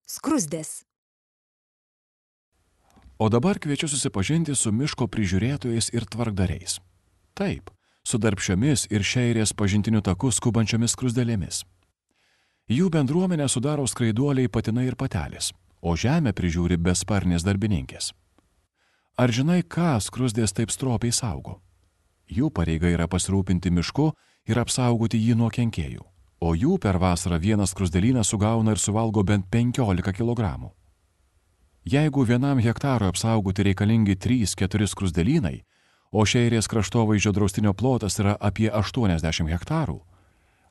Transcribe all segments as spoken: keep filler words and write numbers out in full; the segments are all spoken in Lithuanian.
Skruzdės. O dabar kviečiu susipažinti su miško prižiūrėtojais ir tvarkdariais. Taip, su darbščiomis ir šeirės pažintiniu taku skubančiomis skruzdėlėmis. Jų bendruomenę sudaro skraiduoliai patinai ir patelės, o žemę prižiūri besparnės darbininkės. Ar žinai, ką skruzdės taip stropiai saugo? Jų pareiga yra pasirūpinti mišku ir apsaugoti jį nuo kenkėjų, o jų per vasarą vienas skruzdėlynas sugauna ir suvalgo bent penkiolika kilogramų. Jeigu vienam hektarui apsaugoti reikalingi trys keturi skruzdėlynai, o šeirės kraštovaizdžio draustinio plotas yra apie aštuoniasdešimt hektarų,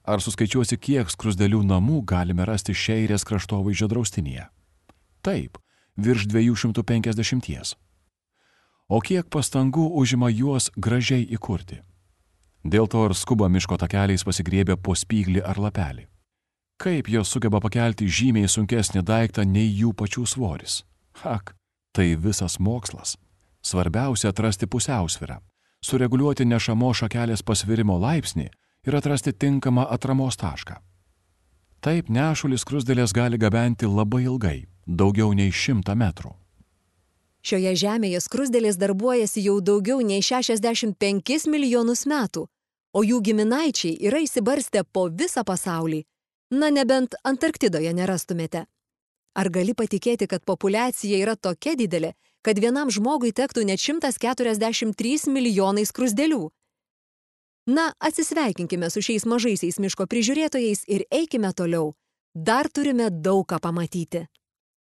ar suskaičiuosi, kiek skruzdėlių namų galime rasti šeirės kraštovaizdžio draustinyje? Taip, virš dviejų šimtų penkiasdešimties. O kiek pastangų užima juos gražiai įkurti? Dėl to ir skuba miško takeliais pasigriebę po spyglį ar lapelį. Kaip jos sugeba pakelti žymiai sunkesnį daiktą nei jų pačių svoris? Ak, tai visas mokslas. Svarbiausia atrasti pusiausvyrą, sureguliuoti nešamos šakelės pasvirimo laipsnį ir atrasti tinkamą atramos tašką. Taip nešulį skruzdėlės gali gabenti labai ilgai, daugiau nei šimtą metrų. Šioje žemėje skruzdėlės darbuojasi jau daugiau nei šešiasdešimt penkis milijonus metų, o jų giminaičiai yra išsibarstę po visą pasaulį. Na, nebent Antarktidoje nerastumėte. Ar gali patikėti, kad populiacija yra tokia didelė, kad vienam žmogui tektų net šimtas keturiasdešimt trys milijonai skruzdėlių? Na, atsisveikinkime su šiais mažaisiais miško prižiūrėtojais ir eikime toliau. Dar turime daug ką pamatyti.